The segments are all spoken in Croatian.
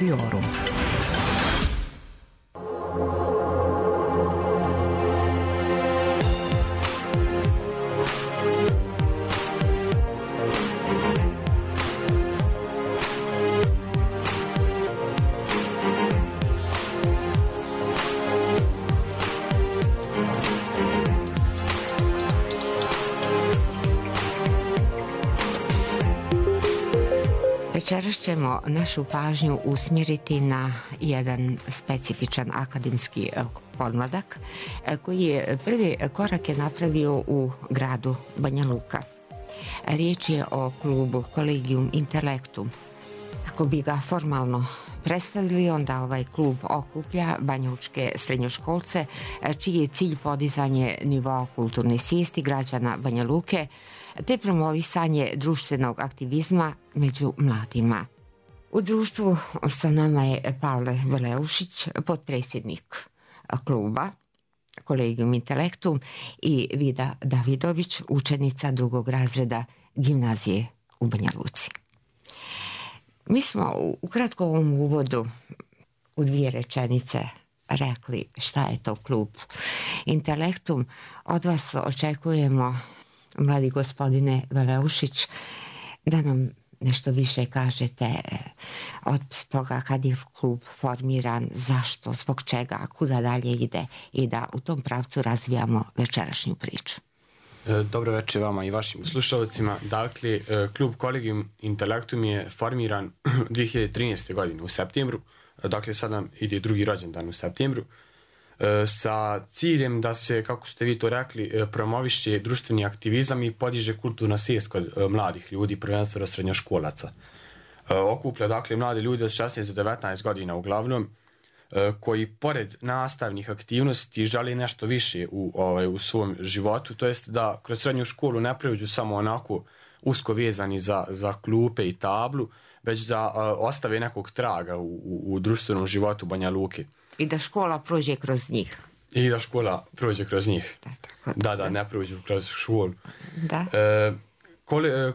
Intermediorum. Večeras ćemo našu pažnju usmjeriti na jedan specifičan akademski podmladak koji je prvi korak napravio u gradu Banja Luka. Riječ je o klubu Collegium Intellectum. Ako bi ga formalno predstavili, onda ovaj klub okuplja banjalučke srednjoškolce čiji je cilj podizanje nivoa kulturne svijesti građana Banja Luke te promovisanje društvenog aktivizma među mladima. U društvu sa nama je Pavle Veleušić, potpredsjednik kluba Collegium Intellectum, i Vida Davidović, učenica 2. razreda gimnazije u Banja Luci. Mi smo u kratkom uvodu u 2 rečenice rekli šta je to klub Intellectum. Od vas očekujemo, mladi gospodine Veleušić, da nam nešto više kažete od toga kad je klub formiran, zašto, zbog čega, kuda dalje ide, i da u tom pravcu razvijamo večerašnju priču. Dobro večer vama i vašim slušalcima. Dakle, klub Collegium Intellectum je formiran 2013. godine u septembru. Dakle, sad nam ide 2. rođendan u septembru, sa ciljem da se, kako ste vi to rekli, promoviše društveni aktivizam i podiže kulturna svijest kod mladih ljudi, prvenstveno srednjoškolaca. Okuplja, dakle, mlade ljude od 16 do 19 godina uglavnom, koji pored nastavnih aktivnosti žele nešto više u svom životu, to jest da kroz srednju školu ne pređu samo onako usko vezani za klupe i tablu, već da ostave nekog traga u društvenom životu Banja Luke. I da škola prođe kroz njih. Da, ne prođu kroz školu. Da.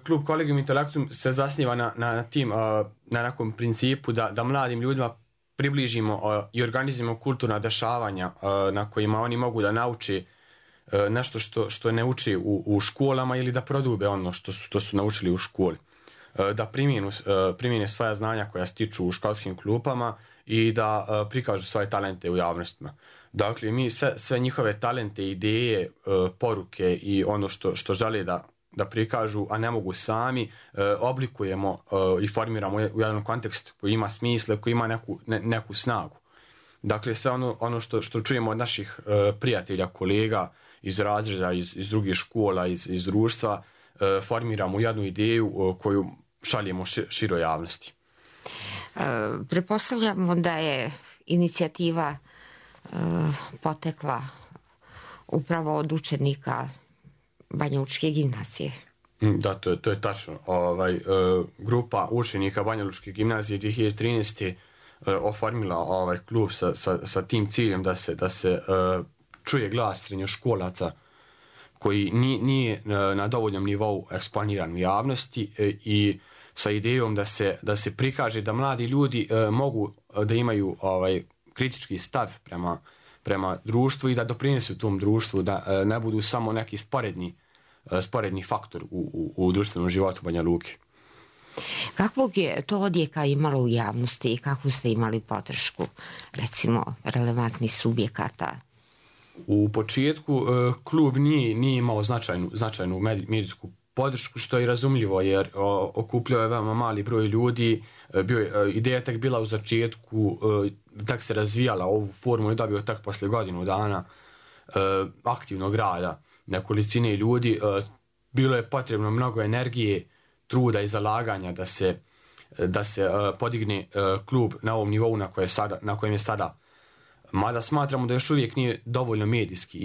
Klub Collegium Intellectum se zasniva na nekom principu da mladim ljudima približimo i organizujemo kulturna dešavanja na kojima oni mogu da nauče nešto što ne uče u školama ili da prodube ono što su naučili u školi. Da primjene svoja znanja koja stiču u školskim klupama i da prikažu svoje talente u javnostima. Dakle, mi sve njihove talente, ideje, poruke i ono što žele da prikažu, a ne mogu sami, oblikujemo i formiramo u jednom kontekstu koji ima smisla, koji ima neku snagu. Dakle, sve ono što čujemo od naših prijatelja, kolega iz razreda, iz drugih škola, iz društva, formiramo jednu ideju koju šaljemo široj javnosti. Pretpostavljamo da je inicijativa potekla upravo od učenika Banjalučke gimnazije. Da, to je tačno. Grupa učenika Banjalučke gimnazije 2013. oformila klub sa tim ciljem da se čuje glas srednjoškolaca koji nije na dovoljnom nivou eksponiran u javnosti, i sa idejom da se prikaže da mladi ljudi mogu da imaju kritički stav prema društvu i da doprinesu tom društvu, da ne budu samo neki sporedni faktor u društvenom životu Banja Luke. Kakvog je to odjeka imalo u javnosti i kakvu ste imali podršku, recimo, relevantnih subjekata? U početku klub nije imao značajnu medijsku podršku, što je razumljivo jer okupljao je veoma mali broj ljudi. Ideja je tek bila u začetku, tak se razvijala ovu formu i dobio tek posle godinu dana aktivnog rada nekolicine ljudi. Bilo je potrebno mnogo energije, truda i zalaganja da se podigne klub na ovom nivou na kojem je sada. Mada smatramo da još uvijek nije dovoljno medijski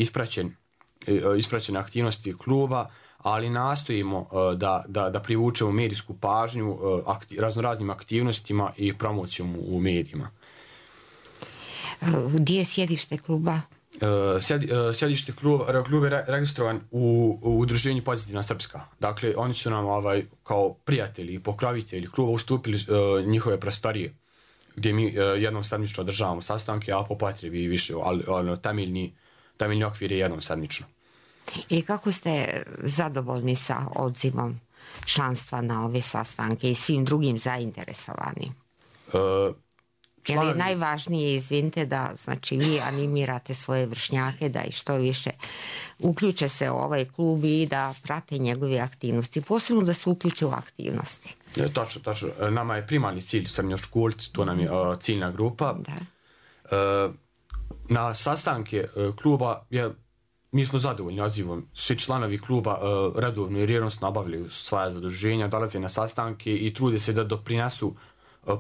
ispraćene aktivnosti kluba, ali nastojimo da privučemo medijsku pažnju raznoraznim aktivnostima i promocijom u medijima. Gdje je sjedište kluba? Sjedište kluba je registrovan u udruženju Pozitivna Srpska. Dakle, oni su nam kao prijatelji i pokrovitelji kluba ustupili njihove prostorije gdje mi jednom sedmično održavamo sastanke, a po potrebi i više, ali temeljni okvir je jednom sedmično. I kako ste zadovoljni sa odzivom članstva na ove sastanke i svim drugim zainteresovanim? Je li najvažnije, izvinite, da znači vi animirate svoje vršnjake da i što više uključe se u ovaj klub i da prate njegove aktivnosti, posebno da se uključe u aktivnosti? Točno. Nama je primarni cilj srednjoškolci, to nam je ciljna grupa. Da. Na sastanke kluba mi smo zadovoljni odzivom. Svi članovi kluba redovno i rjernosno obavljaju svoja zaduženja, dolaze na sastanke i trude se da doprinesu,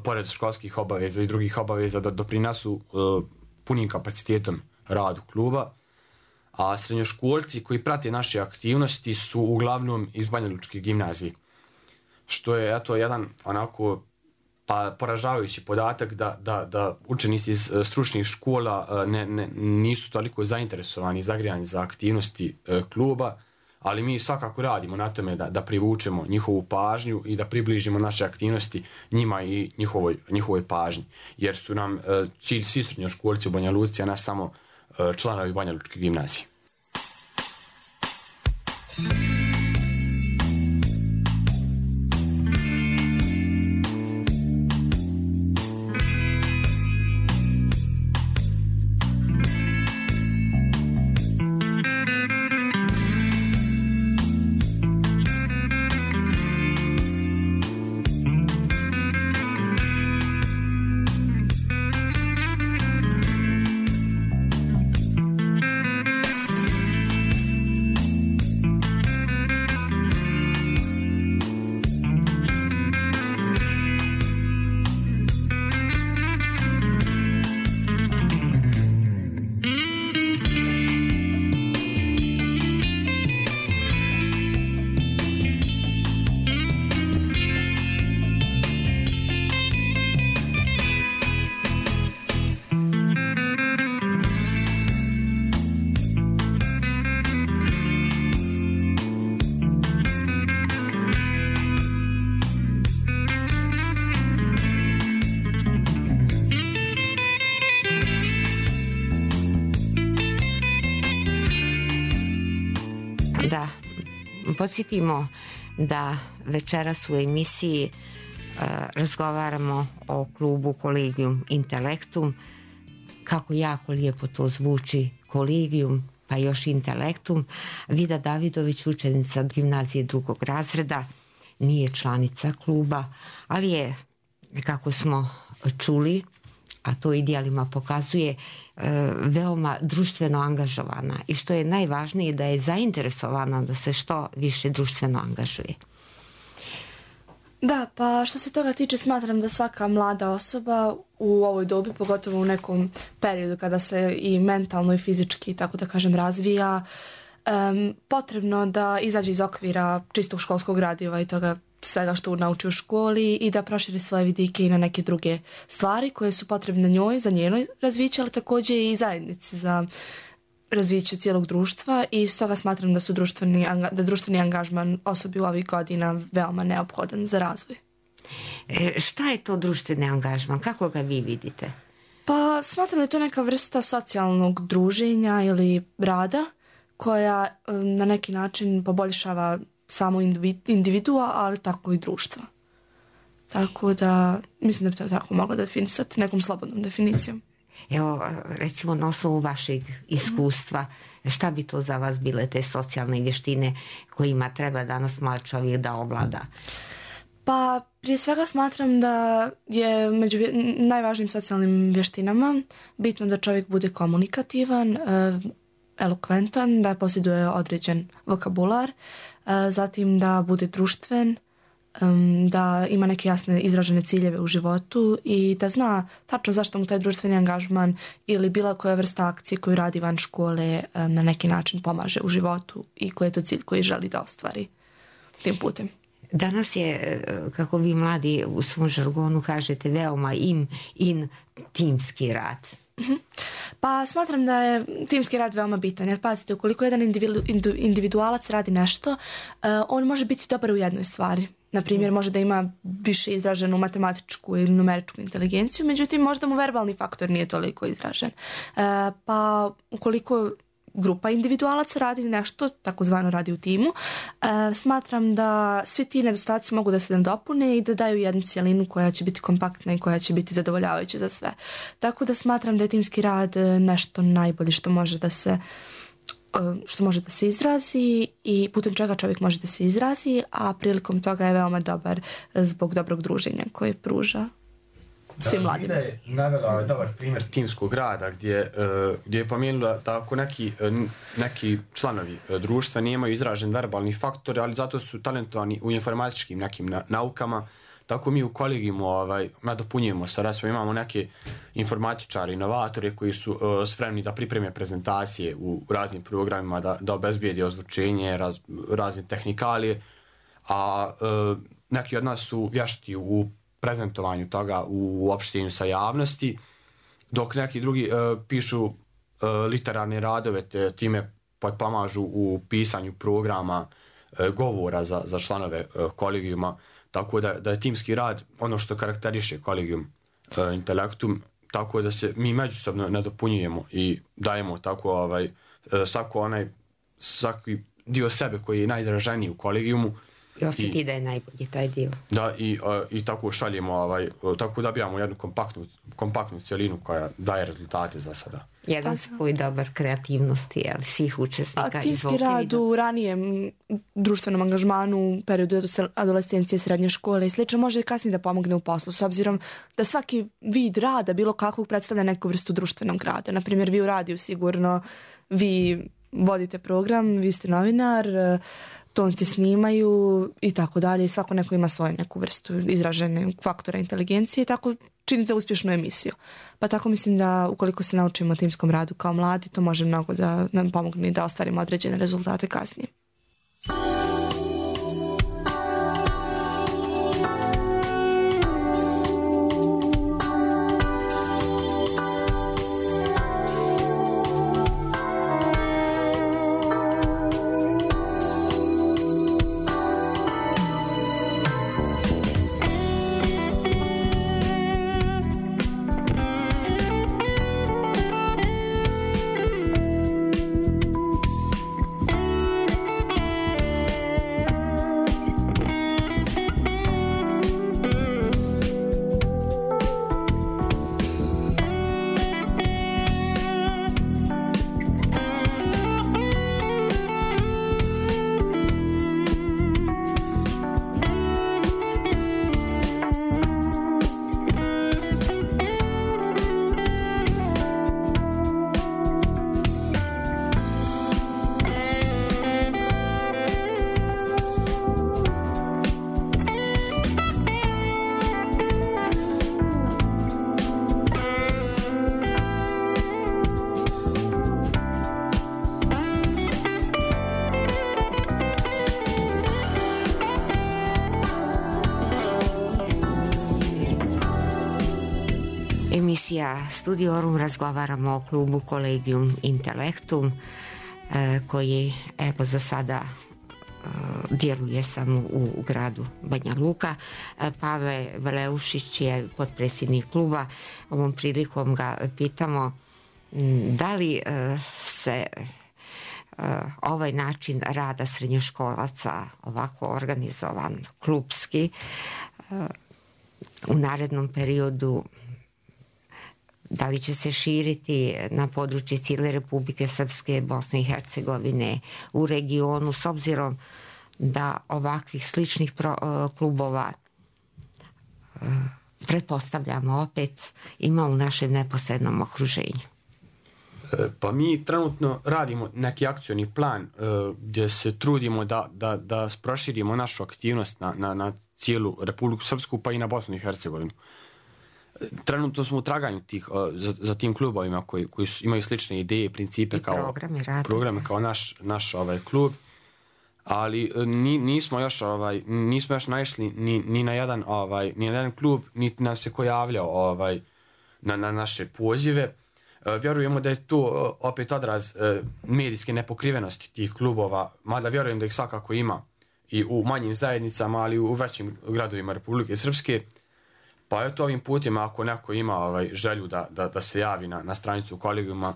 pored školskih obaveza i drugih obaveza, da doprinesu punim kapacitetom radu kluba. A srednjoškolci koji prate naše aktivnosti su uglavnom iz Banja Lučke gimnazije. Što je jedan onako poražavajući podatak da učenici iz stručnih škola nisu toliko zainteresovani i zagrijani za aktivnosti kluba, ali mi svakako radimo na tome da privučemo njihovu pažnju i da približimo naše aktivnosti njima i njihovoj pažnji. Jer su nam cilj svi srednjoškolci u Banja Luci, a ne samo članovi Banja Lučke gimnazije. Da podsjetimo da večeras u emisiji razgovaramo o klubu Collegium Intellectum. Kako jako lijepo to zvuči, Collegium pa još Intellectum. Vida Davidović, učenica gimnazije 2. razreda, nije članica kluba, ali je, kako smo čuli, a to i dijelima pokazuje, veoma društveno angažovana i što je najvažnije da je zainteresovana da se što više društveno angažuje. Da, pa što se toga tiče, smatram da svaka mlada osoba u ovoj dobi, pogotovo u nekom periodu kada se i mentalno i fizički, tako da kažem, razvija, potrebno da izađe iz okvira čistog školskog gradiva i toga svega što nauči u školi i da proširi svoje vidike i na neke druge stvari koje su potrebne njoj za njeno razviće, ali također i zajednici za razviće cijelog društva i stoga smatram da društveni angažman osobi u ovih godina veoma neophodan za razvoj. Šta je to društveni angažman? Kako ga vi vidite? Pa smatram da je to neka vrsta socijalnog druženja ili rada koja na neki način poboljšava samo individua, ali tako i društva. Tako da mislim da bi to tako mogla definisati nekom slobodnom definicijom. Evo, recimo na osnovu vašeg iskustva, šta bi to za vas bile te socijalne vještine kojima treba danas mlad čovjek da ovlada? Pa prije svega smatram da je među najvažnijim socijalnim vještinama bitno da čovjek bude komunikativan, elokventan, da posjeduje određen vokabular, zatim da bude društven, da ima neke jasne izražene ciljeve u životu i da zna tačno zašto mu taj društveni angažman ili bila koja vrsta akcije koju radi van škole na neki način pomaže u životu i koji je to cilj koji želi da ostvari tim putem. Danas je, kako vi mladi u svom žargonu kažete, veoma in timski rad. Pa smatram da je timski rad veoma bitan, jer pazite, ukoliko jedan individualac radi nešto, on može biti dobar u jednoj stvari, Na primjer, može da ima više izraženu matematičku ili numeričku inteligenciju, međutim, možda mu verbalni faktor nije toliko izražen. Pa ukoliko grupa individualaca radi nešto, takozvano radi u timu, smatram da svi ti nedostaci mogu da se nadopune i da daju jednu cijelinu koja će biti kompaktna i koja će biti zadovoljavajuća za sve. Tako da smatram da je timski rad nešto najbolje što može da se izrazi i putem čega čovjek može da se izrazi, a prilikom toga je veoma dobar zbog dobrog druženja koje pruža svim mladima. Da, je navela dobar primjer timskog rada gdje je pomenula da ako neki članovi društva nemaju izražen verbalni faktor, ali zato su talentovani u informatičkim nekim naukama, tako mi u kolegijumu nadopunjujemo sa imamo neke informatičare, inovatore koji su spremni da pripreme prezentacije u raznim programima, da obezbijede ozvučenje, razne tehnikalije, a neki od nas su vješti u prezentovanju toga, u opštenju sa javnosti, dok neki drugi pišu literarne radove, te time potpomažu u pisanju programa, govora za članove kolegijuma. Tako da je timski rad ono što karakteriše kolegijum Intelektum, tako da se mi međusobno nadopunjujemo i dajemo tako svaki dio sebe koji je najizraženiji u kolegijumu. I osjeti da je najbolji taj dio. Da, i tako šaljemo, tako dobijamo jednu kompaktnu cijelinu koja daje rezultate za sada. Jedan spoj dobar kreativnosti svih učesnika. A timski rad u ranijem društvenom angažmanu, periodu adolescencije, srednje škole i slično može kasnije da pomogne u poslu, s obzirom da svaki vid rada bilo kakvog predstavlja neku vrstu društvenog rada. Naprimjer, vi u radiju sigurno, vi vodite program, vi ste novinar, tonci snimaju i tako dalje i svako neko ima svoju neku vrstu izražene faktora inteligencije i tako činite uspješnu emisiju. Pa tako mislim da ukoliko se naučimo timskom radu kao mladi, to može mnogo da nam pomogne da ostvarimo određene rezultate kasnije. Emisija Studiorum, razgovaramo o klubu Collegium Intellectum koji evo za sada djeluje samo u gradu Banja Luka. Pavle Valeušić je potpredsjednik kluba. Ovom prilikom ga pitamo da li se ovaj način rada srednjoškolaca, ovako organizovan, klubski, u narednom periodu da li će se širiti na područje cijele Republike Srpske, Bosne i Hercegovine, u regionu, s obzirom da ovakvih sličnih klubova pretpostavljamo opet ima u našem neposrednom okruženju. Pa mi trenutno radimo neki akcioni plan gdje se trudimo da proširimo našu aktivnost na cijelu Republiku Srpsku pa i na Bosnu i Hercegovinu. Trenutno smo u traganju za tim klubovima koji imaju slične ideje, principe kao programe kao naš klub, ali nismo još naišli ni na jedan klub, niti nam se ko javljao na naše pozive. Vjerujemo da je to opet odraz medijske nepokrivenosti tih klubova, mada vjerujem da ih svakako ima i u manjim zajednicama, ali u većim gradovima Republike Srpske. Pa eto, ovim putem, ako neko ima želju da se javi na stranicu kolegijuma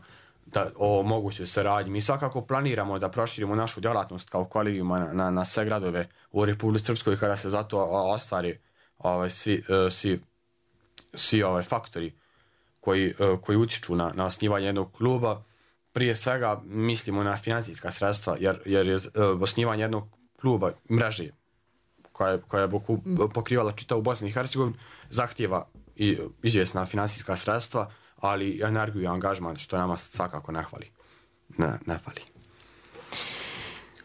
o mogućoj saradnji, mi svakako planiramo da proširimo našu djelatnost kao kolegijuma na sve gradove u Republici Srpskoj kada se zato ostvari svi faktori koji utiču na osnivanje jednog kluba. Prije svega mislimo na financijska sredstva, jer je osnivanje jednog kluba mreže koja je pokrivala čitavu Bosnu i Hercegovinu zahtijeva i izvjesna financijska sredstva, ali i energiju i angažman, što nama svakako ne fali.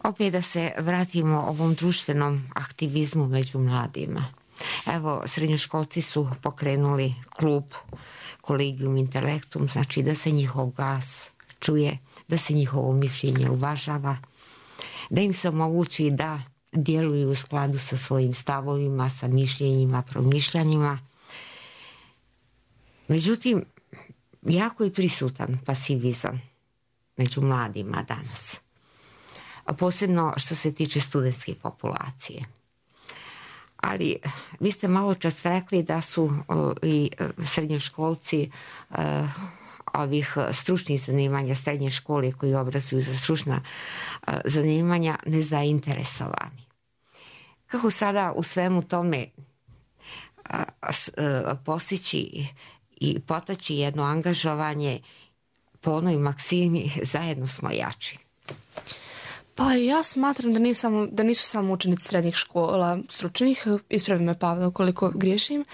Opet da se vratimo ovom društvenom aktivizmu među mladima. Evo, srednjoškolci su pokrenuli klub Collegium Intellectum, znači da se njihov glas čuje, da se njihovo mišljenje uvažava, da im se omogući da djeluju u skladu sa svojim stavovima, sa mišljenjima, promišljanjima. Međutim, jako je prisutan pasivizam među mladima danas, a posebno što se tiče studentske populacije. Ali vi ste malo čas rekli da su i srednjoškolci ovih stručnih zanimanja, srednje škole koji obrazuju za stručna zanimanja nezainteresovani. Kako sada u svemu tome postići i potaći jedno angažovanje po onoj maksimi zajedno smo jači? Pa ja smatram da nisu samo učenici srednjih škola stručnih, ispravi me Pavle ukoliko griješim,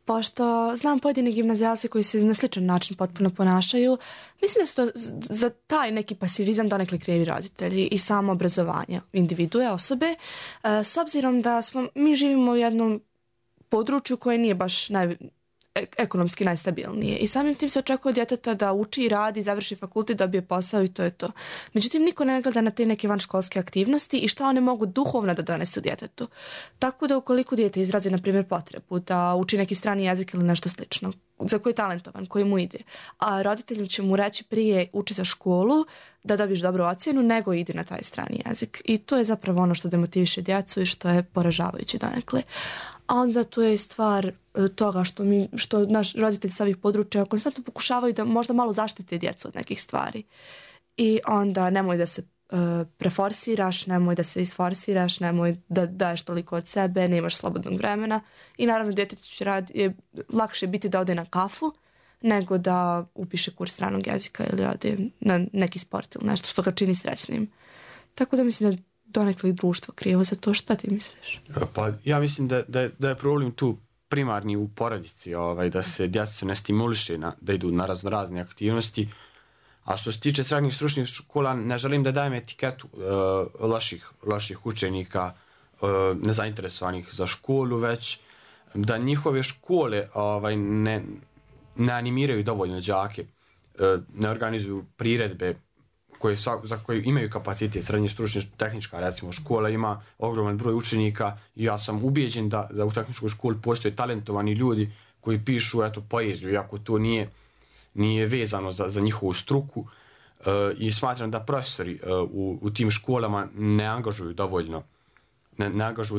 pošto znam pojedini gimnazijalci koji se na sličan način potpuno ponašaju. Mislim da su to za taj neki pasivizam donekle krivi roditelji i samo obrazovanje individue, osobe, s obzirom da mi živimo u jednom području koje nije baš ekonomski najstabilnije i samim tim se očekuje od djeteta da uči i radi, završi fakultet, dobije posao i to je to. Međutim, niko ne gleda na te neke vanškolske aktivnosti i što one mogu duhovno da donesu djetetu. Tako da ukoliko dijete izrazi, na primjer, potrebu da uči neki strani jezik ili nešto slično, za koji je talentovan, koji mu ide, a roditelji će mu reći prije uči za školu da dobiješ dobru ocjenu nego idi na taj strani jezik. I to je zapravo ono što demotiviše djecu i što je poražavajuće donekle. A onda tu je stvar toga što naš roditelj sa ovih područja konstantno pokušavaju da možda malo zaštite djecu od nekih stvari. I onda nemoj da se preforsiraš, nemoj da se isforsiraš, nemoj da daješ toliko od sebe, nemaš slobodnog vremena. I naravno djetetu će je lakše biti da ode na kafu nego da upiše kurs stranog jezika ili ode na neki sport ili nešto što ga čini srećnim. Tako da mislim da donekle društvo krivo za to. Šta ti misliš? Pa ja mislim da je problem tu primarni u porodici, da se djeca ne stimuliše da idu na razne aktivnosti. A što se tiče srednjih stručnih škola, ne želim da dajem etiketu loših učenika, nezainteresovanih za školu, već da njihove škole ne animiraju dovoljno đake, ne organizuju priredbe za koje imaju kapacitet. Srednje stručne tehnička, recimo, škola ima ogroman broj učenika i ja sam ubijeđen da u tehničkoj školi postoje talentovani ljudi koji pišu poeziju, iako to nije vezano za njihovu struku, i smatram da profesori u tim školama ne angažuju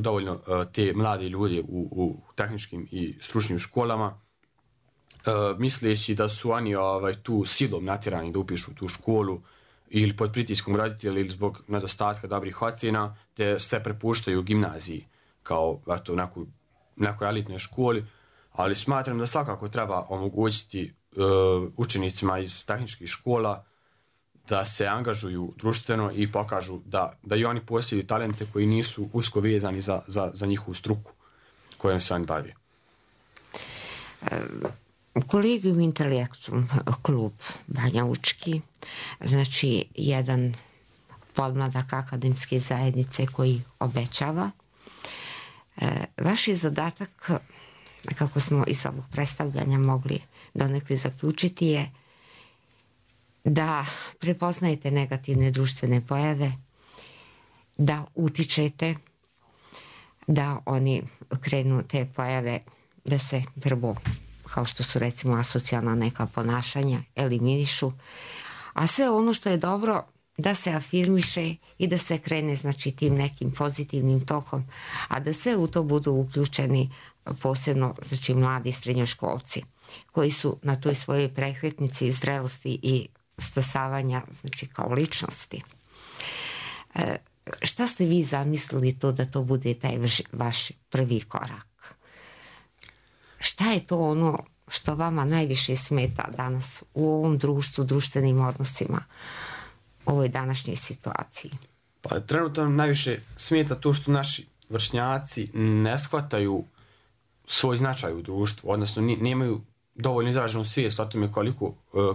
dovoljno te mlade ljude u tehničkim i stručnim školama, misleći da su oni tu silom natjerani da upišu tu školu ili pod pritiskom roditelja ili zbog nedostatka dobrih ocjena, te se prepuštaju gimnaziji kao nekoj elitnoj školi, ali smatram da svakako treba omogućiti učenicima iz tehničkih škola da se angažuju društveno i pokažu da i oni posjeduju talente koji nisu usko vezani za njihovu struku kojom se oni bave. Collegium Intellectum, klub banjalučki, znači jedan podmladak akademske zajednice koji obećava. Vaš je zadatak, kako smo iz ovog predstavljanja mogli donekle zaključiti, je da prepoznajete negativne društvene pojave, da utičete, da oni krenu te pojave da se prvo, kao što su recimo asocijalna neka ponašanja, eliminišu, a sve ono što je dobro da se afirmiše i da se krene znači tim nekim pozitivnim tokom, a da sve u to budu uključeni posebno znači mladi srednjoškolci koji su na toj svojoj prekretnici zrelosti i stasavanja znači kao ličnosti. Šta ste vi zamislili to da to bude taj vaš prvi korak? Šta je to ono što vama najviše smeta danas u ovom društvu, društvenim odnosima, ovoj današnjoj situaciji? Pa trenutno najviše smeta to što naši vršnjaci ne shvataju svoj značaj u društvu, odnosno nemaju dovoljno izraženu svijest o tome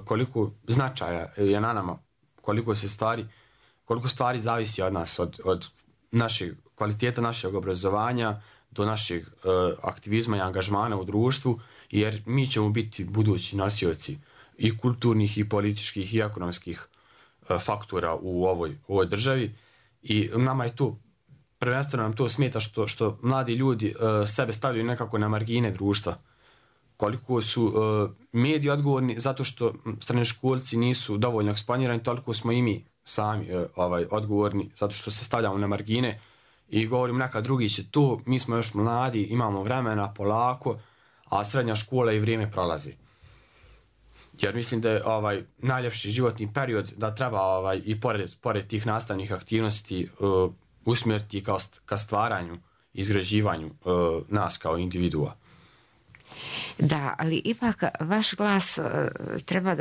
koliko značaja je na nama, koliko stvari zavisi od nas, od našeg kvaliteta našeg obrazovanja do našeg aktivizma i angažmana u društvu, jer mi ćemo biti budući nosioci i kulturnih i političkih i ekonomskih faktora u ovoj državi i nama je to, prvenstveno nam to smeta što mladi ljudi sebe stavljaju nekako na margine društva. Koliko su mediji odgovorni zato što srednjoškolci nisu dovoljno eksponirani, toliko smo i mi sami odgovorni zato što se stavljamo na margine i govorim neka drugi će to, mi smo još mladi, imamo vremena polako, a srednja škola i vrijeme prolazi. Jer mislim da je najljepši životni period da treba i pored tih nastavnih aktivnosti usmjeriti ka stvaranju, izgrađivanju nas kao individua. Da, ali ipak vaš glas treba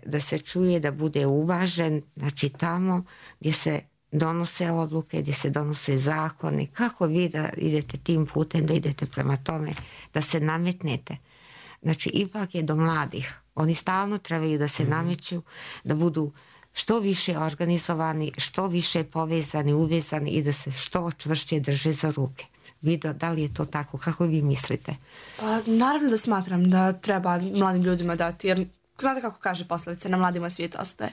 da se čuje, da bude uvažen, znači tamo gdje se donose odluke, gdje se donose zakoni. Kako vi da idete tim putem, da idete prema tome, da se nametnete? Znači ipak je do mladih. Oni stalno trebaju da se nameću, da budu što više organizovani, što više povezani, uvezani i da se što čvršće drže za ruke. Vido, da li je to tako? Kako vi mislite? Pa, naravno da smatram da treba mladim ljudima dati, jer znate kako kaže poslovica, na mladima svijet ostaje.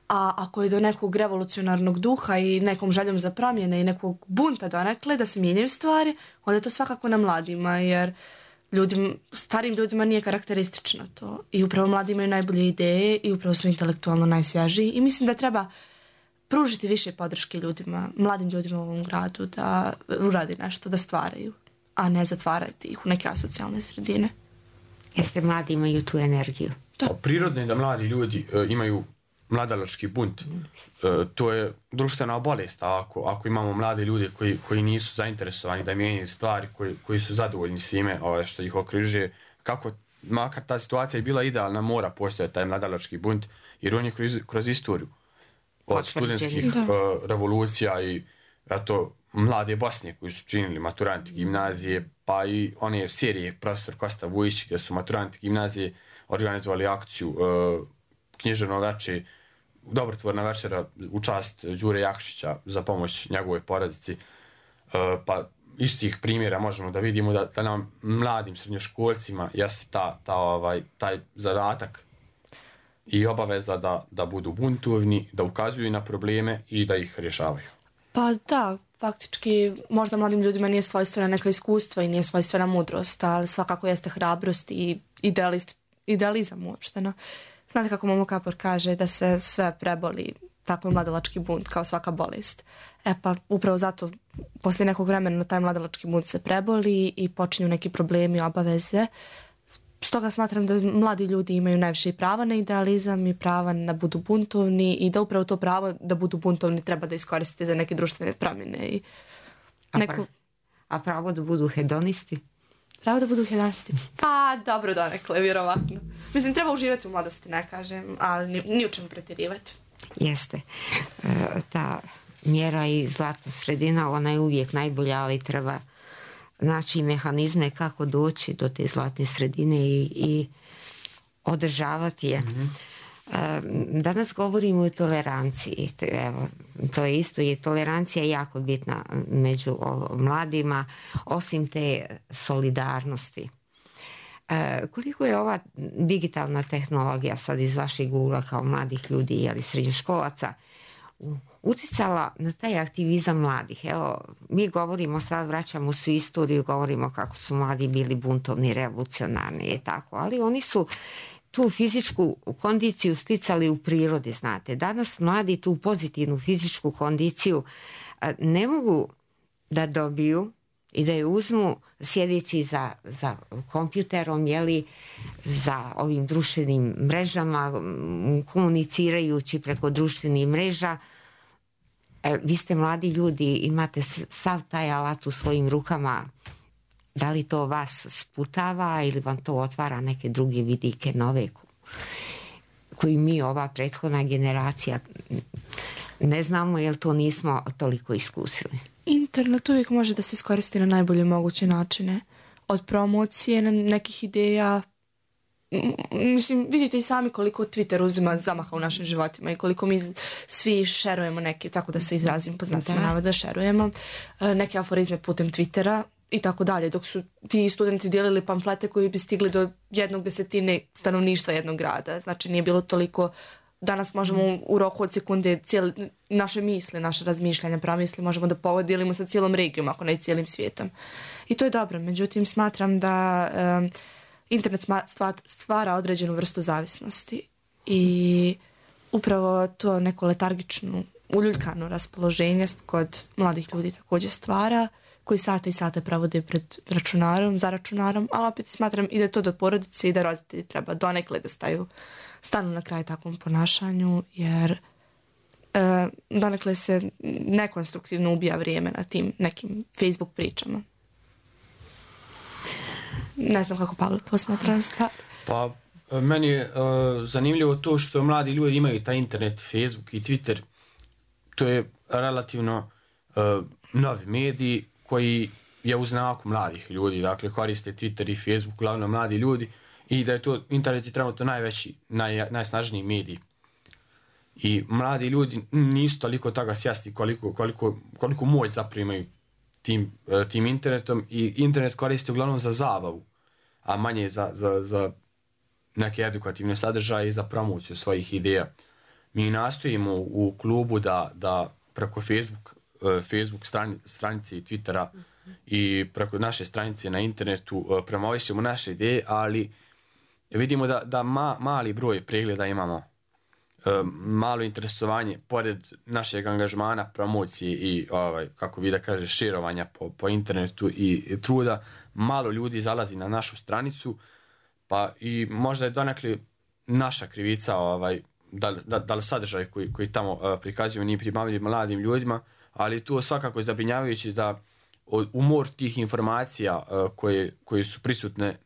A ako je do nekog revolucionarnog duha i nekom željom za promjene i nekog bunta donekle da se mijenjaju stvari, onda je to svakako na mladima, jer starim ljudima nije karakteristično to. I upravo mladi imaju najbolje ideje i upravo su intelektualno najsvježiji i mislim da treba pružiti više podrške ljudima, mladim ljudima u ovom gradu da uradi nešto, da stvaraju, a ne zatvarati ih u neke asocijalne sredine. Jeste mladi imaju tu energiju? Prirodno je da mladi ljudi imaju mladalački bunt. To je društvena bolest, ako imamo mlade ljude koji nisu zainteresovani da mijenjaju stvari, koji su zadovoljni svime što ih okružuje, kako makar ta situacija je bila idealna, mora postojati taj mladalački bunt, jer on je kroz istoriju od studentskih revolucija i mlade Bosne koji su činili maturanti gimnazije, pa i one serije profesor Kosta Vujić gdje su maturanti gimnazije organizovali akciju književno veče, dobrotvorna večera u čast Đure Jakšića za pomoć njegovoj porodici. Pa iz tih primjera možemo da vidimo da nam mladim srednjoškolcima jeste taj zadatak i obaveza da budu buntovni, da ukazuju na probleme i da ih rješavaju. Pa da, faktički možda mladim ljudima nije svojstvena neka iskustva i nije svojstvena mudrost, ali svakako jeste hrabrost i idealizam uopšteno. Znate kako Momo Kapor kaže da se sve preboli, tako je mladalački bunt kao svaka bolest. Pa upravo zato poslije nekog vremena taj mladalački bunt se preboli i počinju neki problemi, obaveze. Stoga smatram da mladi ljudi imaju najviše prava na idealizam i prava na budu buntovni i da upravo to pravo da budu buntovni treba da iskoristite za neke društvene promjene. A pravo da budu hedonisti? Pravo da budu hedonisti? Pa dobro donekle, vjerovatno. Mislim, treba uživati u mladosti, ne kažem, ali ni u čemu pretjerivati. Jeste. Ta mjera i zlatna sredina, ona je uvijek najbolja, ali treba naći mehanizme kako doći do te zlatne sredine i održavati je. Danas govorimo o toleranciji. To je isto, je tolerancija jako bitna među mladima, osim te solidarnosti. Koliko je ova digitalna tehnologija sad iz vašeg ugla kao mladih ljudi ili srednjoškolaca utjecala na taj aktivizam mladih? Evo, mi govorimo sad, vraćamo svu istoriju, govorimo kako su mladi bili buntovni, revolucionarni i tako, ali oni su tu fizičku kondiciju sticali u prirodi, znate. Danas mladi tu pozitivnu fizičku kondiciju ne mogu da dobiju i da je uzmu sjedeći za kompjuterom, za ovim društvenim mrežama, komunicirajući preko društvenih mreža. Vi ste mladi ljudi, imate sav taj alat u svojim rukama. Da li to vas sputava ili vam to otvara neke druge vidike nove koji mi, ova prethodna generacija, ne znamo jer to nismo toliko iskusili? Internet uvijek može da se iskoristi na najbolje moguće načine. Od promocije, nekih ideja. Mislim, vidite i sami koliko Twitter uzima zamaha u našim životima i koliko mi svi šerujemo neke, tako da se izrazim po znacima navoda, šerujemo neke aforizme putem Twittera i tako dalje, dok su ti studenti dijelili pamflete koji bi stigli do 1/10 stanovništva jednog grada. Znači nije bilo toliko. Danas možemo u roku od sekunde naše misle, naše razmišljanja, pramisli možemo da podijelimo sa cijelom regijom, ako ne i cijelim svijetom. I to je dobro. Međutim, smatram da internet stvara određenu vrstu zavisnosti i upravo to neko letargično, uljuljkano raspoloženje kod mladih ljudi također stvara, koji sate i sate provode pred za računarom, ali opet smatram i da je to do porodice i da roditelji treba donekle da stanu na kraj takvom ponašanju, jer donekle se nekonstruktivno ubija vrijeme na tim nekim Facebook pričama. Ne znam kako Pavle posmatra stvar. Pa meni je zanimljivo to što mladi ljudi imaju taj internet, Facebook i Twitter. To je relativno novi medij koji je u znaku mladih ljudi. Dakle, koriste Twitter i Facebook uglavnom mladi ljudi i da je to internet je trenutno najveći, najsnažniji medij. I mladi ljudi nisu toliko toga svjesni koliko moć zapravo imaju tim internetom i internet koriste uglavnom za zabavu, a manje za neke edukativne sadržaje i za promociju svojih ideja. Mi nastojimo u klubu da preko Facebook stranice i Twittera i preko naše stranice na internetu promovišemo naše ideje, ali vidimo da mali broj pregleda imamo, malo interesovanje pored našeg angažmana, promocije i kako vi da kažeš širovanja po internetu i truda, malo ljudi zalazi na našu stranicu, pa i možda je donekle naša krivica da li sadržaj koji tamo prikazuju nije pribavljiv mladim ljudima, ali to svakako je zabrinjavajuće da umor tih informacija koje su prisutne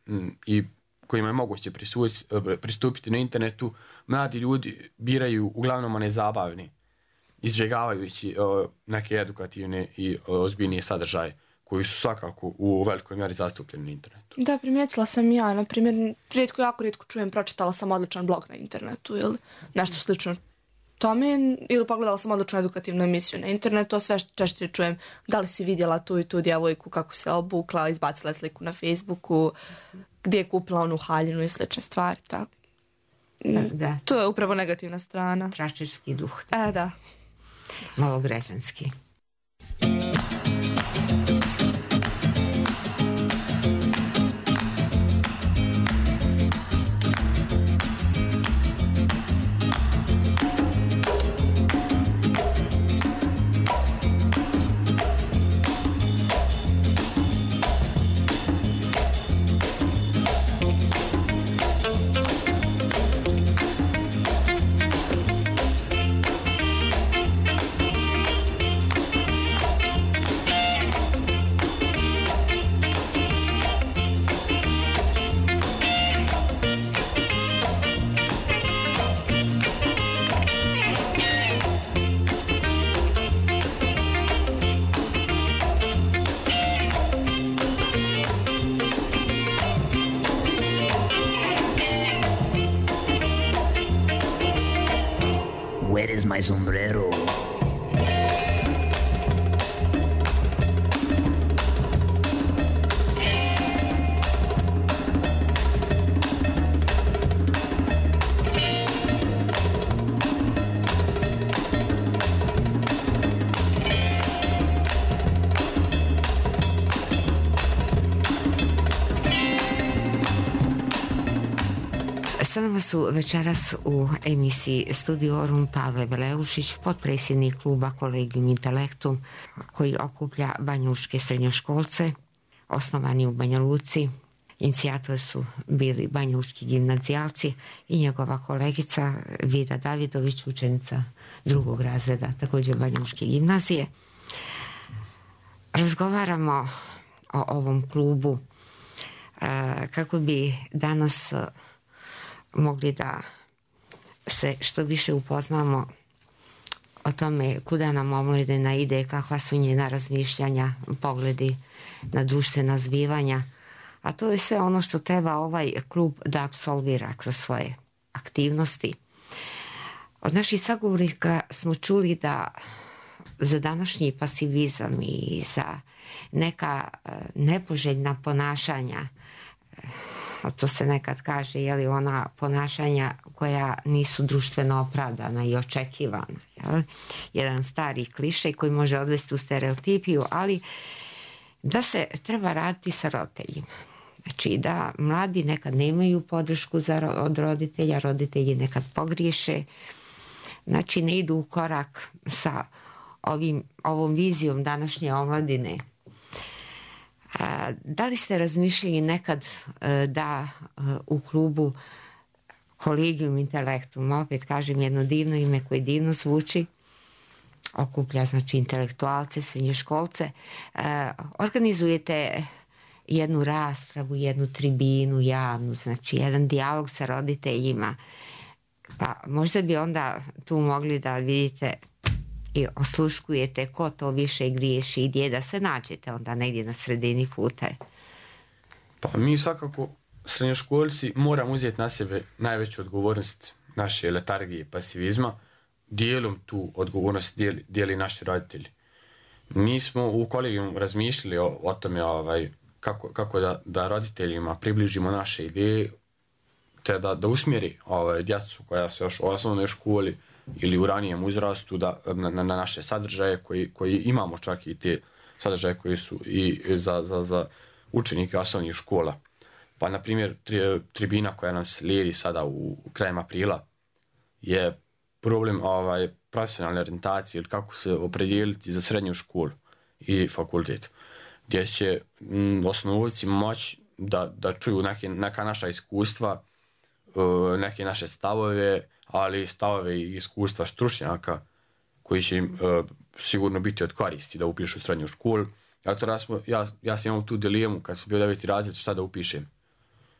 i kojima je moguće pristupiti na internetu, mladi ljudi biraju uglavnom one zabavne, izbjegavajući neke edukativne i ozbiljnije sadržaje koji su svakako u velikoj mjeri zastupljeni na internetu. Da, primijetila sam ja, na primjer, jako rijetko čujem, pročitala sam odličan blog na internetu ili nešto slično tome, ili pogledala sam odličnu edukativnu emisiju na internetu, a sve češće čujem da li si vidjela tu i tu djevojku kako se obukla, izbacila sliku na Facebooku, gdje je kupila onu haljinu i slične stvari. Tako. Da. To je upravo negativna strana. Tračerski duh. Da. Malo građanski. Where is my sombrero? Sa nama su večeras u emisiji Studiorum Pavle Veleušić, potpredsjednik kluba Collegium Intellectum, koji okuplja banjalučke srednjoškolce, osnovani u Banja Luci. Inicijator su bili banjalučki gimnazijalci i njegova kolegica Vida Davidović, učenica 2. razreda, također banjalučke gimnazije. Razgovaramo o ovom klubu kako bi danas mogli da se što više upoznamo o tome kuda nam omladina ide, kakva su njena razmišljanja, pogledi na društvena zbivanja. A to je sve ono što treba ovaj klub da apsolvira kroz svoje aktivnosti. Od naših sagovornika smo čuli da za današnji pasivizam i za neka nepoželjna ponašanja, a to se nekad kaže, je ona ponašanja koja nisu društveno opravdana i očekivana. Jedan stari klišej koji može odvesti u stereotipiju, ali da se treba raditi sa roditeljima. Znači da mladi nekad nemaju podršku od roditelja, roditelji nekad pogriješe, znači ne idu u korak sa ovom vizijom današnje omladine. Da li ste razmišljali nekad da u klubu Collegium Intellectum, opet kažem jedno divno ime koje divno zvuči, okuplja znači intelektualce, srednjoškolce, organizujete jednu raspravu, jednu tribinu javnu, znači jedan dijalog sa roditeljima, pa možda bi onda tu mogli da vidite i osluškujete ko to više griješi i gdje da se nađete onda negdje na sredini puta. Pa mi svakako srednjoškolci moramo uzeti na sebe najveću odgovornost naše letargije i pasivizma. Dijelom tu odgovornost dijeli naši roditelji. Mi smo u kolegijum razmišljali o tome kako da roditeljima približimo naše ideje, te da usmjeri djecu koja su još u osnovnoj školi ili u ranijem uzrastu na naše sadržaje koji imamo, čak i te sadržaje koji su i za učenike osnovnih škola. Pa na primjer tribina koja nas slijedi sada u krajem aprila je problem profesionalne orijentacije ili kako se opredijeliti za srednju školu i fakultet, gdje će osnovci moći da čuju neka naša iskustva, neke naše stavove, ali stavove i iskustva stručnjaka koji će im sigurno biti od koristi da upišu srednju školu. Ja sam imao tu dilemu kad sam bio 9. razred šta da upišem.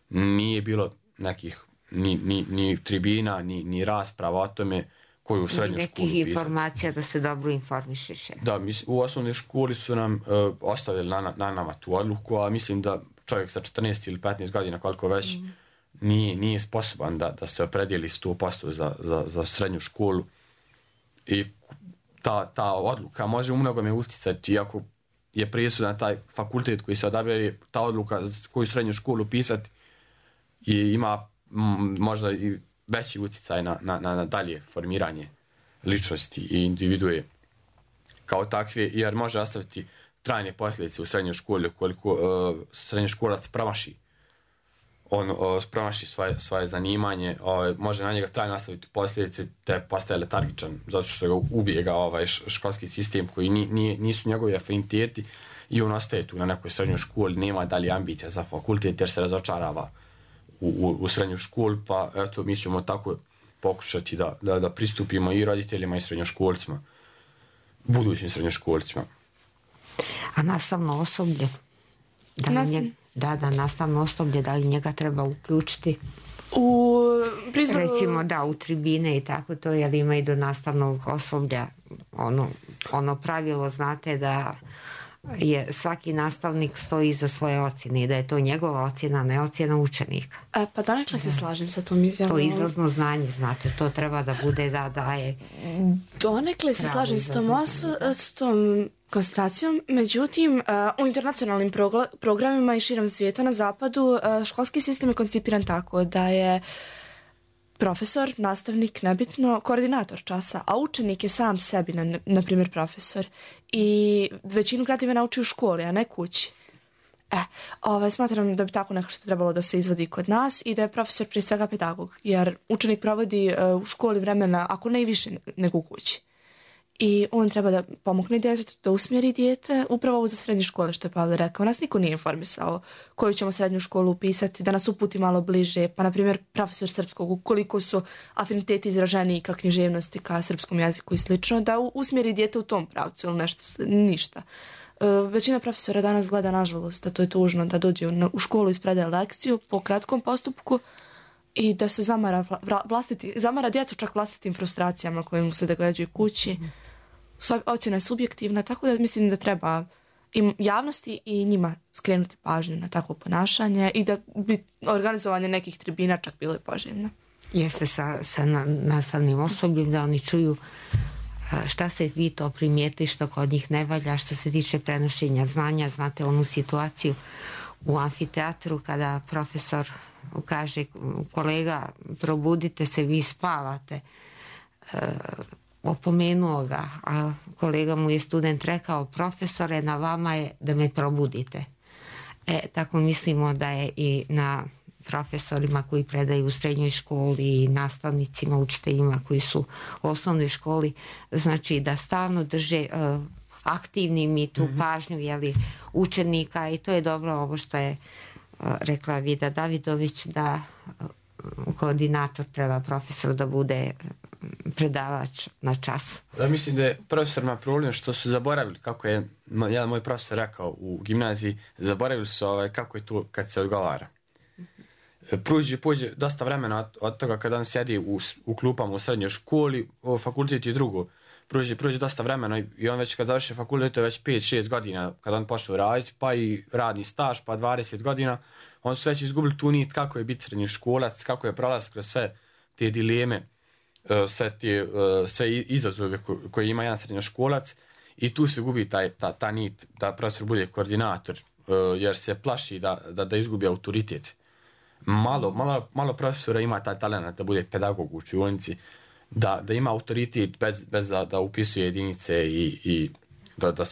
Nije bilo nekih ni tribina, ni rasprava o tome koju srednju školu upisati. Nekih informacija da se dobro informišeš. Da, u osnovnoj školi su nam ostavili na nama tu odluku, a mislim da čovjek sa 14 ili 15 godina, koliko već, nije sposoban da se opredijeli 100% za srednju školu. I ta odluka može u mnogome utjecati, iako je presudan taj fakultet koji se odabere, ta odluka koju srednju školu pisati i ima možda i veći utjecaj na dalje formiranje ličnosti i individue kao takve, jer može ostaviti trajne posljedice u srednjoj školi ukoliko srednjoškolac promaši svoje zanimanje, može na njega trajno ostaviti posljedice te postaje letargičan zato što ga ubijega školski sistem koji nisu njegovi afiniteti i on ostaje tu na nekoj srednjoj školi, nema dalje ambicija za fakultet jer se razočarava u srednju školu, pa eto mi ćemo tako pokušati da pristupimo i roditeljima i srednjoškolcima, budućim srednjoškolcima. A nastavno osoblje? Nastavno osoblje, da li njega treba uključiti? Recimo u tribine i tako to, jer ima i do nastavnog osoblja ono pravilo, znate da je svaki nastavnik stoji iza svoje ocjene i da je to njegova ocjena, ne ocjena učenika. Pa donekle se slažem sa tom izjavom. To je izlazno znanje, znate, to treba da bude da je... Donekle se slažem s tom konstatacijom, međutim u internacionalnim programima i širom svijeta na zapadu školski sistem je koncipiran tako da je profesor, nastavnik, nebitno, koordinator časa, a učenik je sam sebi, na primjer, profesor. I većinu gradiva nauči u školi, a ne kući. Smatram da bi tako nešto trebalo da se izvodi kod nas i da je profesor prije svega pedagog, jer učenik provodi u školi vremena, ako ne i više nego u kući. I on treba da pomogne djetetu, da usmjeri dijete, upravo ovo za srednje škole što je Pavle rekao. Nas niko nije informisao koju ćemo srednju školu upisati, da nas uputi malo bliže, pa na primjer profesor srpskog, ukoliko su afiniteti izraženiji ka književnosti, ka srpskom jeziku i slično, da usmjeri dijete u tom pravcu ili nešto, ništa. Većina profesora danas gleda, nažalost, da to je tužno, da dođe u školu i ispredaje lekciju po kratkom postupku i da se zamara djecu čak vlastitim frustracijama koje mu se događaju kući. Ocjena je subjektivna, tako da mislim da treba i javnosti i njima skrenuti pažnju na takvo ponašanje i da bi organizovanje nekih tribina čak bilo i poželjno. Jeste sa nastavnim osobljem da oni čuju šta se vi to primijeti, što kod njih ne valja, što se tiče prenošenja znanja. Znate onu situaciju u amfiteatru kada profesor kaže kolega probudite se, vi spavate, opomenuo ga, a kolega mu je student rekao profesore na vama je da me probudite. Tako mislimo da je i na profesorima koji predaju u srednjoj školi i nastavnicima, učiteljima koji su u osnovnoj školi, znači da stalno drže aktivnim i tu pažnju učenika i to je dobro ovo što je rekla Vida Davidović, da koordinator treba profesor da bude predavač na čas. Ja mislim da je profesorima problem što su zaboravili, kako je jedan moj profesor rekao u gimnaziji, zaboravili su kako je to kad se odgovara. Prođe dosta vremena od toga kada on sjedi u klupama u srednjoj školi, u fakultet je drugo. Prođe dosta vremena i on već kad završi fakultet, to je već 5-6 godina kada on počeo raditi, pa i radni staž, pa 20 godina. On su već izgubili tu nit kako je biti srednji školac, kako je prolaz kroz sve te dileme, sve izazove koje ima jedan srednjoškolac i tu se gubi ta nit da profesor bude koordinator, jer se plaši da izgubi autoritet. Malo profesora ima taj talent da bude pedagog u učionici, da ima autoritet bez da upisuje jedinice i da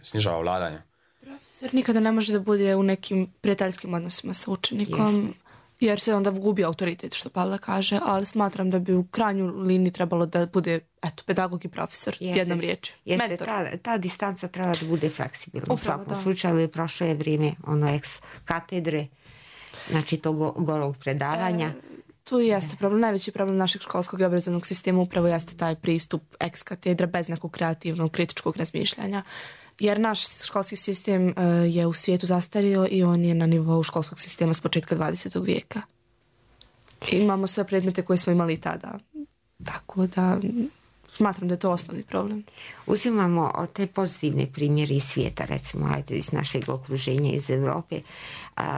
snižava vladanje. Profesor nikada ne može da bude u nekim prijateljskim odnosima sa učenikom, jer se onda gubi autoritet, što Pavle kaže, ali smatram da bi u krajnju liniji trebalo da bude pedagog i profesor, jednom riječju. Ta distanca treba da bude fleksibilna. U svakom slučaju prošlo je vrijeme ex katedre, znači tog golog predavanja. Tu jeste problem, najveći problem našeg školskog i obrazovnog sistema upravo jeste taj pristup ex katedra bez nekog kreativnog, kritičkog razmišljanja. Jer naš školski sistem je u svijetu zastario i on je na nivou školskog sistema s početka 20. vijeka. Imamo sve predmete koje smo imali tada. Tako da smatram da je to osnovni problem. Uzimamo te pozitivne primjere iz svijeta, recimo iz našeg okruženja, iz Europe.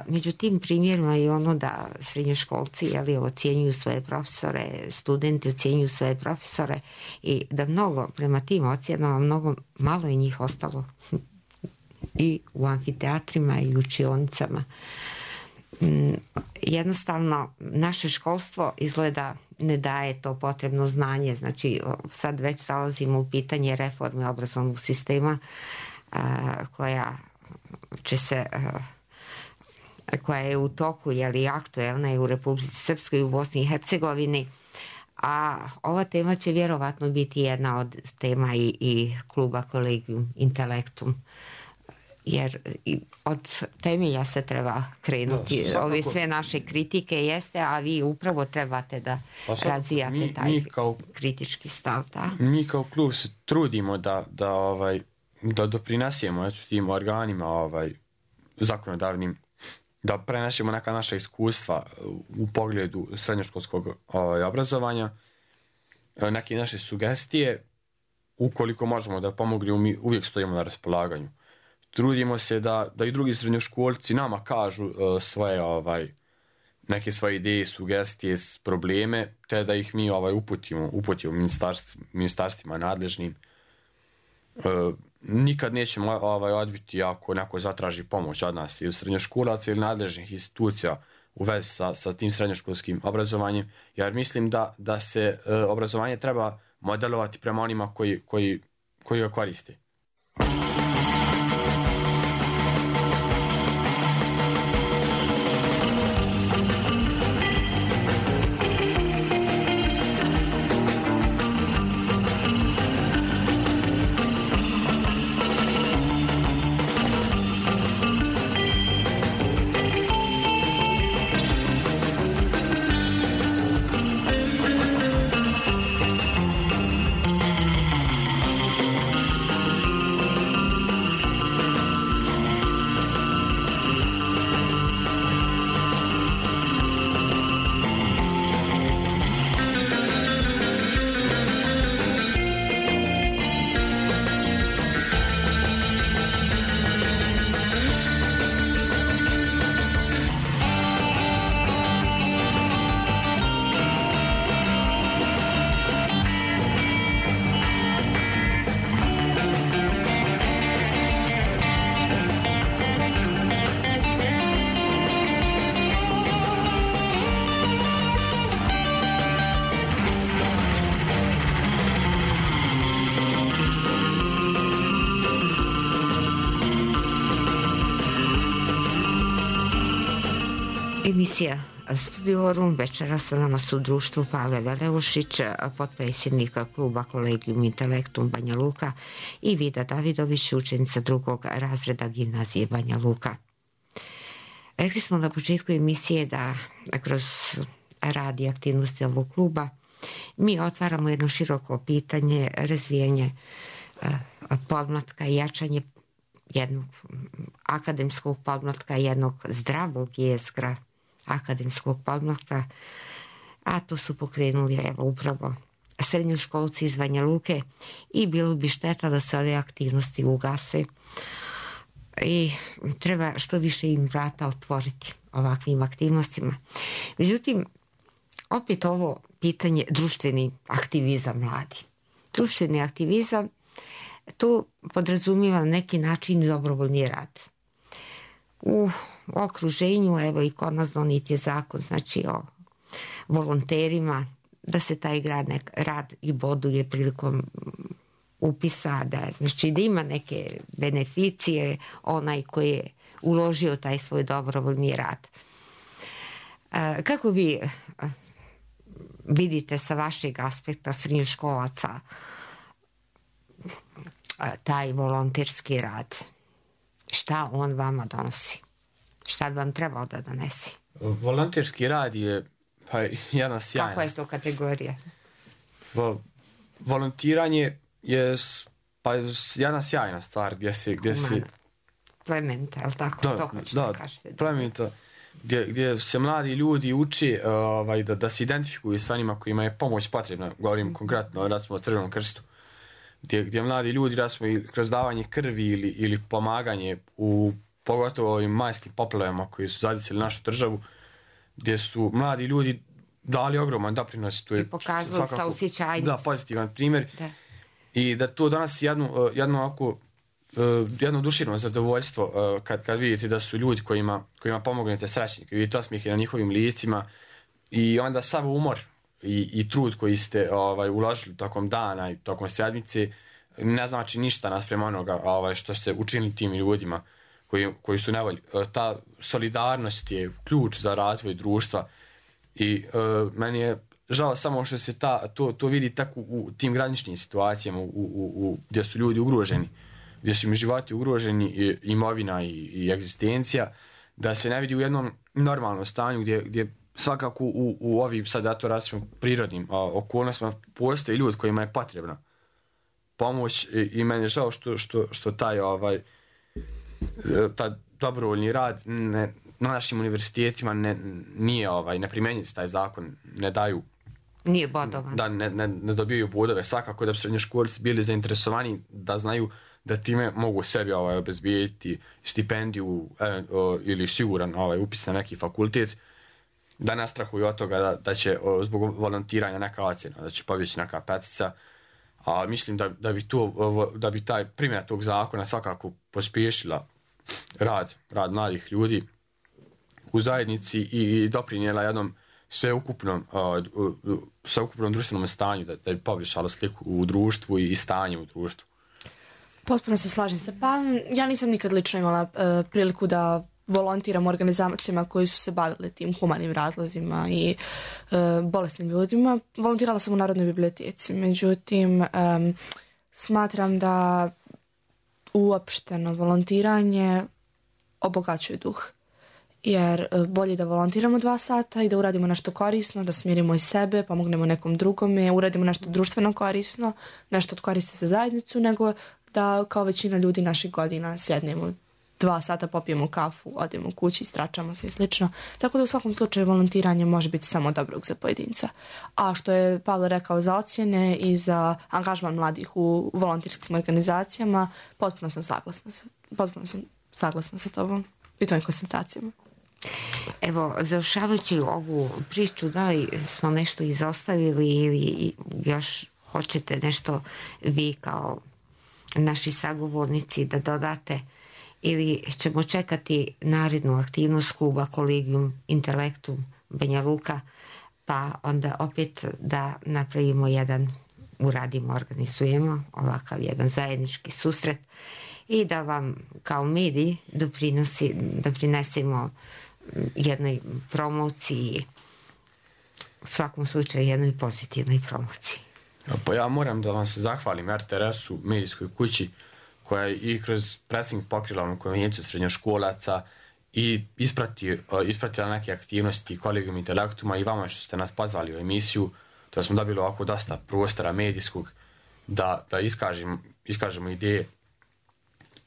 Među tim primjerima je ono da srednjoškolci ocjenjuju svoje profesore, studenti ocjenjuju svoje profesore i da mnogo prema tim ocjenama mnogo malo je njih ostalo i u amfiteatrima i u učionicama. Jednostavno naše školstvo izgleda ne daje to potrebno znanje, znači sad već zalazimo u pitanje reforme obrazovnog sistema koja je u toku, aktuelna je u Republici Srpskoj i u Bosni i Hercegovini, a ova tema će vjerovatno biti jedna od tema i kluba Collegium Intellectum, jer od temelja se treba krenuti. Ove sve naše kritike jeste, a vi upravo trebate da razvijate taj kritički stav. Mi kao klub se trudimo da doprinesemo tim organima zakonodavnim, da prenesemo neka naša iskustva u pogledu srednjoškolskog obrazovanja, neke naše sugestije, ukoliko možemo da pomognemo, mi uvijek stojimo na raspolaganju. Trudimo se da i drugi srednjoškolci nama kažu neke svoje ideje, sugestije, probleme, te da ih mi uputimo ministarstvima nadležnim. Nikad nećemo odbiti ako neko zatraži pomoć od nas ili srednjoškolaca ili nadležnih institucija u vezi sa tim srednjoškolskim obrazovanjem, jer mislim da se obrazovanje treba modelovati prema onima koji ga koriste. emisija Studiorum. Večeras sa nama su u društvu Pavle Veleušić, potpredsjednika kluba Kolegium Intelektum Banja Luka, i Vida Davidović, učenica 2. razreda gimnazije Banja Luka. Rekli smo na početku emisije da kroz rad i aktivnosti ovog kluba mi otvaramo jedno široko pitanje, razvijanje podmlatka i jačanje jednog akademskog podmlatka, jednog zdravog jezgra akademskog podmlatka, a to su pokrenuli upravo srednjoškolci iz Banja Luke i bilo bi šteta da se ove aktivnosti ugase i treba što više im vrata otvoriti ovakvim aktivnostima. Međutim, opet ovo pitanje društveni aktivizam mladi. Društveni aktivizam, to podrazumijeva neki način dobrovoljni rad. U okruženju, evo i kod nas donijet je zakon, znači o volonterima, da se taj rad i boduje prilikom upisa, znači da ima neke beneficije onaj koji je uložio taj svoj dobrovoljni rad. Kako vi vidite sa vašeg aspekta srednjoškolaca taj volonterski rad? Šta on vama donosi? Šta bi vam trebao da donesi? Volonterski rad je jedna sjajna. Kakva je to kategorija? Volontiranje je jedna sjajna stvar gdje si... Plemenita, je li tako? Da, plemenita. Gdje se mladi ljudi uče da se identifikuju sa onima kojima je pomoć potrebna. Govorim konkretno, recimo o Crvenom krstu. Gdje mladi ljudi, recimo i kroz davanje krvi ili pomaganje u pogotovo ovim majskim poplavama koji su zadesili našu državu, gdje su mladi ljudi dali ogroman doprinos. I pokazali saosjećajnost. Da, pozitivan primjer. Da. I da to donosi jedno duševno zadovoljstvo kad vidite da su ljudi kojima pomognete srećni, kad vidite osmijehe na njihovim licima i onda sav umor i trud koji ste uložili tokom dana i tokom sedmice ne znači ništa naspram onoga što ste učinili tim ljudima koji su nevolji. Ta solidarnost je ključ za razvoj društva i meni je žao samo što se to vidi tako u tim graničnim situacijama gdje su ljudi ugroženi, gdje su im životi ugroženi, imovina i egzistencija, da se ne vidi u jednom normalnom stanju gdje svakako u ovim sad ja to različitim prirodnim okolnostima postoje ljudi kojima je potrebna pomoć i meni je žao što taj dobrovoljni rad na našim univerzitetima ne primjenjuje se taj zakon, ne daju. Nije bodovan. Da, ne dobijaju bodove. Svakako da bi srednjoškolci bili zainteresovani da znaju da time mogu sebi obezbijediti stipendiju ili siguran upis na neki fakultet, da ne strahuju od toga da će zbog volontiranja neka ocjena, da će pobjeći neka petica. A mislim da bi taj primjena tog zakona svakako pospješila rad mladih ljudi u zajednici i doprinijela jednom sveukupnom društvenom stanju, da bi poboljšalo sliku u društvu i stanje u društvu. Potpuno se slažem se. Pa ja nisam nikad lično imala priliku da volontiram organizacijama koji su se bavili tim humanim razlozima i bolesnim ljudima. Volontirala sam u Narodnoj biblioteci. Međutim, smatram da uopšteno volontiranje obogaćuje duh. Jer bolje da volontiramo 2 sata i da uradimo nešto korisno, da smirimo i sebe, pomognemo nekom drugome, uradimo nešto društveno korisno, nešto od koristi za zajednicu, nego da kao većina ljudi naših godina sjednemo 2 sata, popijemo kafu, odemo kući, stračamo se i slično. Tako da u svakom slučaju volontiranje može biti samo dobrog za pojedinca. A što je Pavle rekao za ocjene i za angažman mladih u volonterskim organizacijama, potpuno sam saglasna sa tobom i tvojim koncentracijama. Evo, završavajući ovu priču, da li smo nešto izostavili ili još hoćete nešto vi kao naši sagovornici da dodate, ili ćemo čekati narednu aktivnost kluba Kolegium Intelektum Banja Luka, pa onda opet da napravimo organizujemo ovakav jedan zajednički susret i da vam kao mediji doprinesemo jednoj promociji, u svakom slučaju jednoj pozitivnoj promociji. Pa ja moram da vam se zahvalim RTS-u, medijskoj kući, koja je i kroz pressing pokrila onu konvenciju srednjoškolaca i ispratila neke aktivnosti Collegium Intellectuma i vama što ste nas pozvali u emisiju, da smo dobili ovako dosta prostora medijskog da iskažemo ideje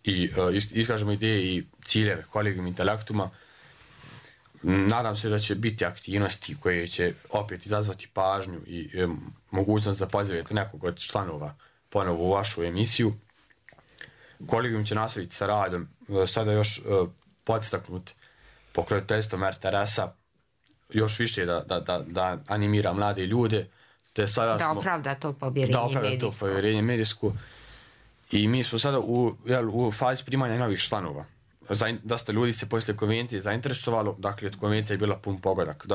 i ciljeve Collegium Intellectuma. Nadam se da će biti aktivnosti koje će opet izazvati pažnju i mogućnost da pozovete nekog od članova ponovo u vašu emisiju. Collegium će nastaviti sa radom, sada još podstaknut pokroviteljstvom RTS-a, još više da animira mlade ljude. Da opravda to povjerenje medijsko. I mi smo sada u fazi primanja novih članova. Dosta ljudi se poslije konvencije zainteresovalo, dakle konvencija je bila pun pogodak,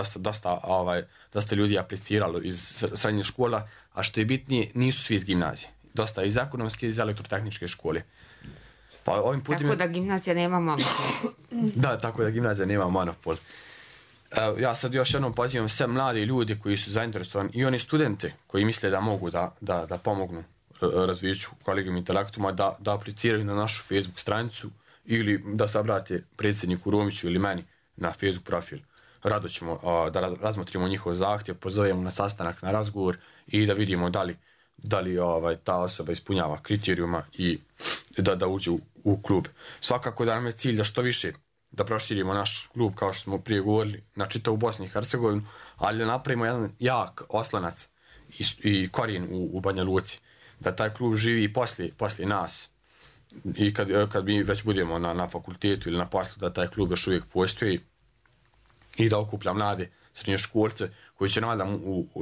dosta ljudi apliciralo iz srednje škola, a što je bitnije, nisu svi iz gimnazije, dosta iz ekonomske i iz elektrotehničke škole. Pa ovim putem... Tako da gimnazija nema monopol. Da, tako da gimnazija nema monopol. Ja sad još jednom pozivam sve mlade ljude koji su zainteresovani i oni studente koji misle da mogu da pomognu razvijeću Collegium Intellectuma, da apliciraju na našu Facebook stranicu ili da se obrate predsjedniku Romiću ili meni na Facebook profil. Rado ćemo da razmotrimo njihov zahtjev, pozovemo na sastanak, na razgovor i da vidimo da li ta osoba ispunjava kriterijuma i da uđe u klub. Svakako da nam je cilj da što više da proširimo naš klub, kao što smo prije govorili, na čitavu Bosnu i Hercegovinu, ali da napravimo jedan jak oslonac i korijen u Banja Luci. Da taj klub živi i poslije nas. I kad mi već budemo na fakultetu ili na poslu, da taj klub još uvijek postoji i da okuplja mlade srednjoškolce koji će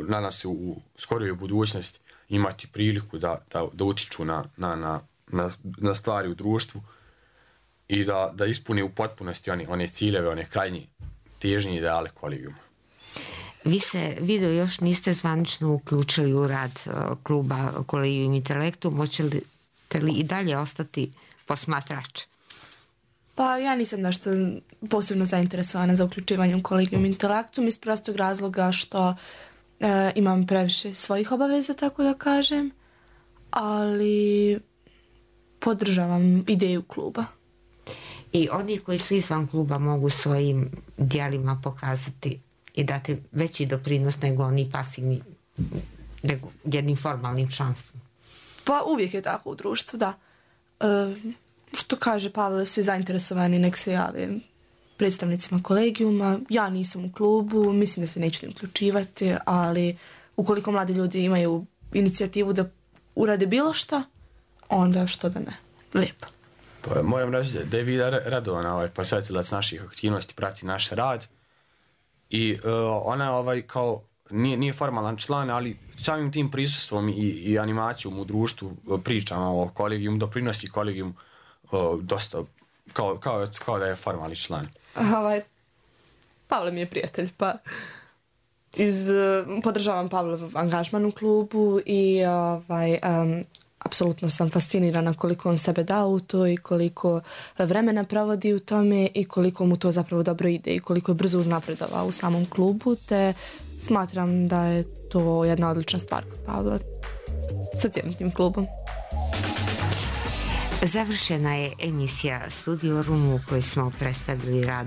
nadam se u skorijoj budućnosti imati priliku da utiču na stvari u društvu i da ispuni u potpunosti one ciljeve, one krajnje težnje ideale Collegiuma. Vi se još niste zvanično uključili u rad kluba Collegium Intellectum, hoćete li i dalje ostati posmatrač? Pa ja nisam nešto posebno zainteresovana za uključivanje u Collegium Intellectum iz prostog razloga što imam previše svojih obaveza, tako da kažem, ali podržavam ideju kluba. I oni koji su izvan kluba mogu svojim djelima pokazati i dati veći doprinos nego oni pasivni, nego jednim formalnim članstvom. Pa uvijek je tako u društvu, da. Što kaže Pavle, svi zainteresovani nek se jave predstavnicima Collegiuma. Ja nisam u klubu, mislim da se neću uključivati, ali ukoliko mladi ljudi imaju inicijativu da urade bilo šta, onda što da ne. Lijepo. Pa, moram reći da je Vida radovan posjetilac naših aktivnosti, prati naš rad i ona kao nije formalan član, ali samim tim prisustvom i animacijom u društvu, pričama o Collegium, doprinosi Collegium dosta kao da je formalni član. Pavle mi je prijatelj, pa podržavam Pavlov angažman u klubu i apsolutno sam fascinirana koliko on sebe dao u to i koliko vremena provodi u tome i koliko mu to zapravo dobro ide i koliko je brzo uznapredovao u samom klubu, te smatram da je to jedna odlična stvar kod Pavla sa cijelim tim klubom. Završena je emisija Studio Room u kojoj smo predstavili rad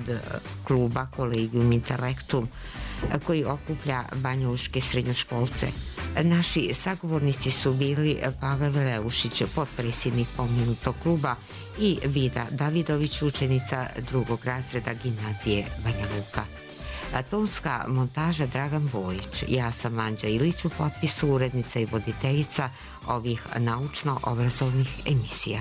kluba Collegium Intellectum koji okuplja banjalučke srednjoškolce. Naši sagovornici su bili Pavel Veleušić, potpredsjednik pomenutog kluba, i Vida Davidović, učenica 2. razreda gimnazije Banja Luka. Tonska montaža Dragan Bojić, ja sam Anđa Ilić, u potpisu urednica i voditeljica ovih naučno-obrazovnih emisija.